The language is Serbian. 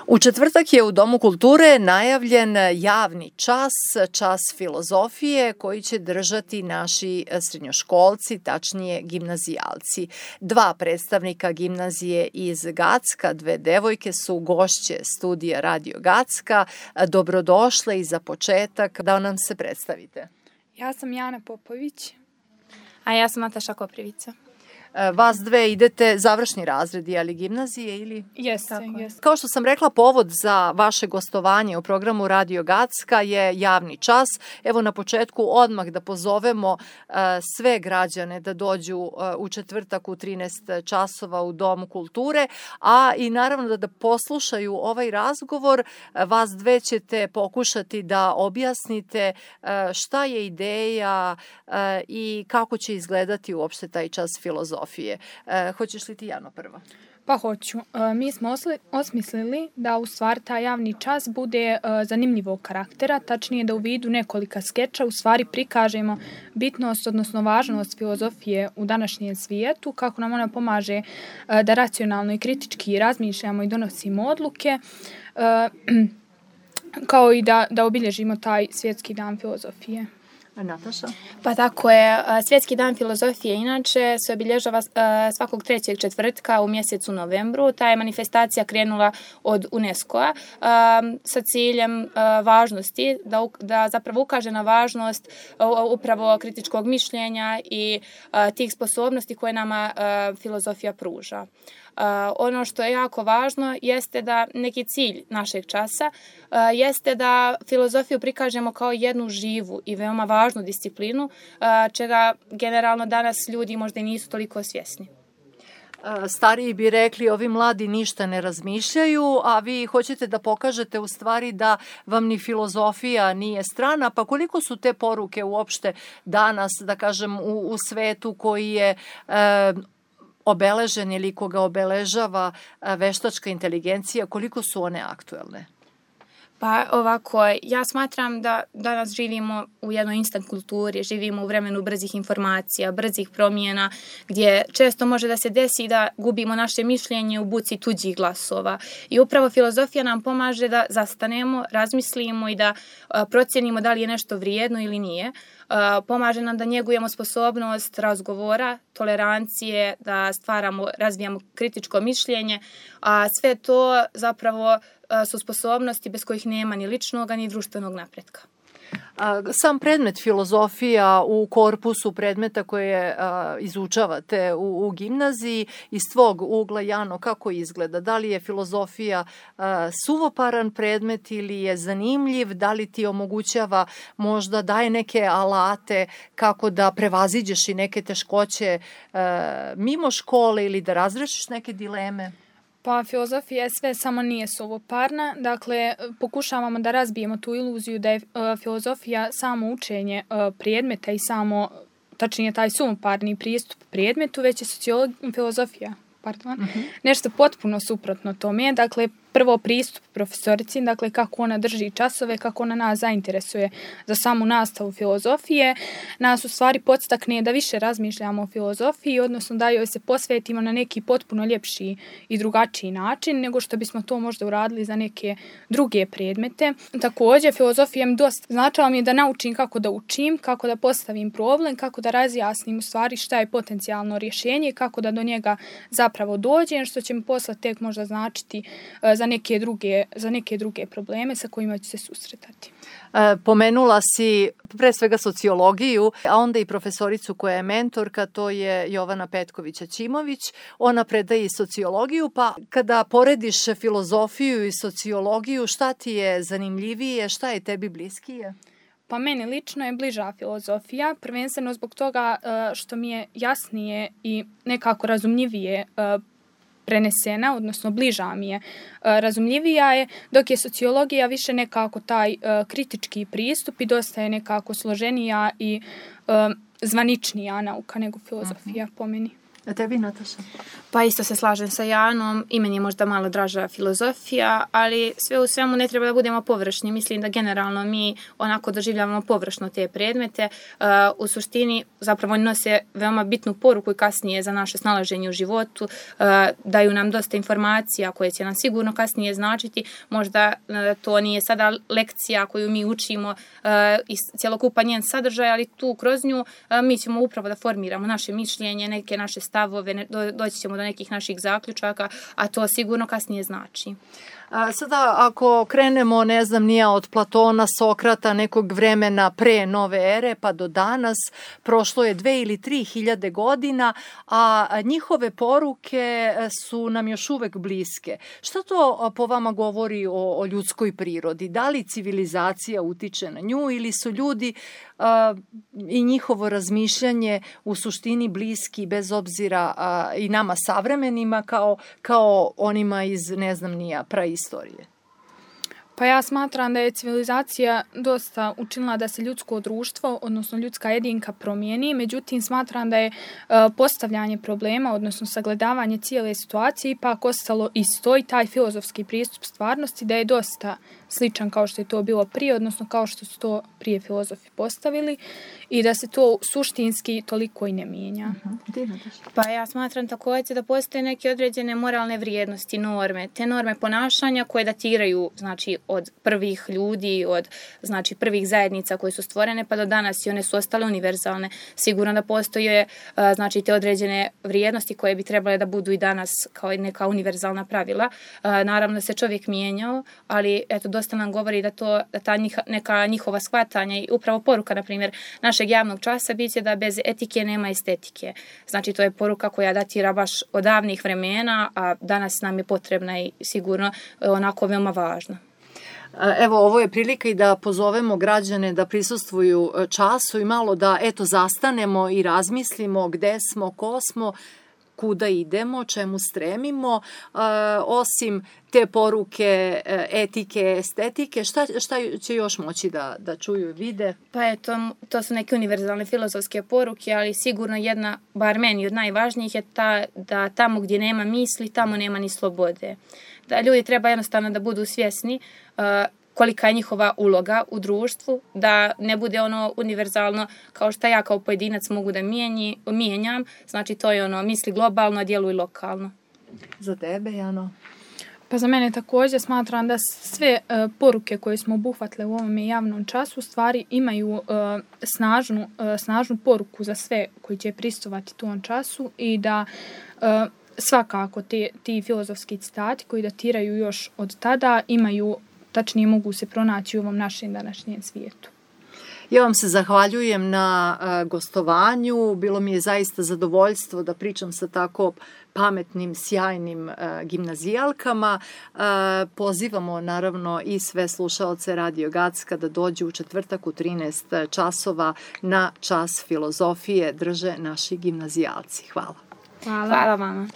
U četvrtak je u Domu kulture najavljen javni čas filozofije koji će držati naši srednjoškolci, tačnije gimnazijalci. 2 predstavnika gimnazije iz Gacka, 2 devojke su gošće studija Radio Gacka. Dobrodošle i za početak da nam se predstavite. Ja sam Jana Popović. A ja sam Nataša Koprivica. Vas dve idete završni razredi, ali gimnazije ili? Jeste. Kao što sam rekla, povod za vaše gostovanje u programu Radio Gacka je javni čas. Evo na početku odmah da pozovemo sve građane da dođu u četvrtak u 13 časova u Domu kulture, a i naravno da poslušaju ovaj razgovor. Vas dve ćete pokušati da objasnite šta je ideja i kako će izgledati uopšte taj čas filozofije. Hoćeš li ti, Jano, prva? Pa hoću. Mi smo osmislili da u stvari taj javni čas bude zanimljivog karaktera, tačnije da u vidu nekolika skeča u stvari prikažemo bitnost, odnosno važnost filozofije u današnjem svijetu, kako nam ona pomaže da racionalno i kritički razmišljamo i donosimo odluke, kao i da obilježimo taj svjetski dan filozofije. Nataša? Pa tako je. Svjetski dan filozofije inače se obilježava svakog 3. četvrtka u mjesecu novembru. Ta je manifestacija krenula od UNESCO-a sa ciljem važnosti, da zapravo ukaže na važnost upravo kritičkog mišljenja i tih sposobnosti koje nama filozofija pruža. Ono što je jako važno jeste da neki cilj našeg časa jeste da filozofiju prikažemo kao jednu živu i veoma važnu disciplinu, čega generalno danas ljudi možda i nisu toliko svjesni. Stariji bi rekli, ovi mladi ništa ne razmišljaju, a vi hoćete da pokažete u stvari da vam ni filozofija nije strana, pa koliko su te poruke uopšte danas, da kažem, u svetu koji je obeležen ili koga obeležava veštačka inteligencija, koliko su one aktuelne? Pa ovako, ja smatram da danas živimo u jednoj instant kulturi, živimo u vremenu brzih informacija, brzih promjena, gdje često može da se desi da gubimo naše mišljenje u buci tuđih glasova. I upravo filozofija nam pomaže da zastanemo, razmislimo i da procjenimo da li je nešto vrijedno ili nije. Pomaže nam da njegujemo sposobnost razgovora, tolerancije, da razvijamo kritičko mišljenje, a sve to zapravo su sposobnosti bez kojih nema ni ličnog, ni društvenog napretka. Sam predmet filozofija u korpusu predmeta koje izučavate u gimnaziji, iz tvog ugla, Jano, kako izgleda? Da li je filozofija suvoparan predmet ili je zanimljiv? Da li ti omogućava, možda daje neke alate kako da prevaziđeš i neke teškoće mimo škole ili da razrešiš neke dileme? Pa filozofija je sve, samo nije suvoparna. Dakle, pokušavamo da razbijemo tu iluziju da je filozofija samo učenje predmeta i samo, tačnije taj suvoparni pristup predmetu, već je filozofija. Nešto potpuno suprotno tome. Dakle, prvo pristup profesorici, dakle kako ona drži časove, kako ona nas zainteresuje za samu nastavu filozofije, nas u stvari podstakne da više razmišljamo o filozofiji, odnosno da joj se posvetimo na neki potpuno ljepši i drugačiji način nego što bismo to možda uradili za neke druge predmete. Također, filozofija mi dosta značila mi je da naučim kako da učim, kako da postavim problem, kako da razjasnim u stvari šta je potencijalno rješenje, kako da do njega zapravo dođem, što će mi posle tek možda značiti za neke druge probleme sa kojima ću se susretati. Pomenula si pre svega sociologiju, a onda i profesoricu koja je mentorka, to je Jovana Petković-Ćimović. Ona predaje i sociologiju, pa kada porediš filozofiju i sociologiju, šta ti je zanimljivije, šta je tebi bliskije? Pa meni lično je bliža filozofija, prvenstveno zbog toga što mi je jasnije i nekako razumljivije prenesena, odnosno bliža mi je, razumljivija je, dok je sociologija više nekako taj kritički pristup i dosta je nekako složenija i zvaničnija nauka nego filozofija po meni. A tebi, Nataša? Pa isto se slažem sa Janom, i meni je možda malo draža filozofija, ali sve u svemu ne treba da budemo površni. Mislim da generalno mi onako doživljavamo površno te predmete. U suštini zapravo oni nose veoma bitnu poruku i kasnije za naše snalaženje u životu. Daju nam dosta informacija koje će nam sigurno kasnije značiti. Možda to nije sada lekcija koju mi učimo i cjelokupan njen sadržaj, ali tu kroz nju mi ćemo upravo da formiramo naše mišljenje, neke naše stavove, doći ćemo do nekih naših zaključaka, a to sigurno kasnije znači. Sada ako krenemo, ne znam, nije od Platona, Sokrata, nekog vremena pre nove ere pa do danas, prošlo je 2 ili 3 hiljade godina, a njihove poruke su nam još uvek bliske. Šta to po vama govori o ljudskoj prirodi? Da li civilizacija utiče na nju ili su ljudi i njihovo razmišljanje u suštini bliski bez obzira i nama savremenima kao onima iz, ne znam, nija praistorije? Pa ja smatram da je civilizacija dosta učinila da se ljudsko društvo, odnosno ljudska jedinka promijeni, međutim smatram da je postavljanje problema, odnosno sagledavanje cijele situacije ipak ostalo isto i taj filozofski pristup stvarnosti da je dosta sličan kao što je to bilo prije, odnosno kao što su to prije filozofi postavili i da se to suštinski toliko i ne mijenja. Pa ja smatram također da postoje neke određene moralne vrijednosti, norme, te norme ponašanja koje datiraju, znači, od prvih ljudi, od, znači, prvih zajednica koje su stvorene pa do danas i one su ostale univerzalne. Sigurno da postoje, znači, te određene vrijednosti koje bi trebale da budu i danas kao neka univerzalna pravila. Naravno da se čovjek mijenjao, ali eto, dosta nam govori da ta neka njihova shvatanja i upravo poruka, na primjer, našeg javnog časa bit će da bez etike nema estetike. Znači, to je poruka koja datira baš od davnih vremena, a danas nam je potrebna i sigurno onako veoma važna. Evo, ovo je prilika i da pozovemo građane da prisustvuju času i malo da, zastanemo i razmislimo gde smo, ko smo, kuda idemo, čemu stremimo, osim te poruke etike, estetike, šta će još moći da čuju i vide? Pa to su neke univerzalne filozofske poruke, ali sigurno jedna, bar meni od najvažnijih, je ta da tamo gdje nema misli, tamo nema ni slobode. Da ljudi treba jednostavno da budu svjesni kolika je njihova uloga u društvu, da ne bude ono univerzalno kao što ja kao pojedinac mogu da mijenjam, znači to je ono misli globalno, djeluj lokalno. Za tebe, Jano? Pa za mene također smatram da sve poruke koje smo obuhvatile u ovom javnom času stvari imaju snažnu poruku za sve koji će pristovati tom času i da svakako ti filozofski citati koji datiraju još od tada imaju, tačnije mogu se pronaći u ovom našem današnjem svijetu. Ja vam se zahvaljujem na gostovanju. Bilo mi je zaista zadovoljstvo da pričam sa tako pametnim, sjajnim gimnazijalkama. Pozivamo naravno i sve slušaoce Radio Gacka da dođu u četvrtak u 13 časova na čas filozofije drže naši gimnazijalci. Hvala. Hvala vama.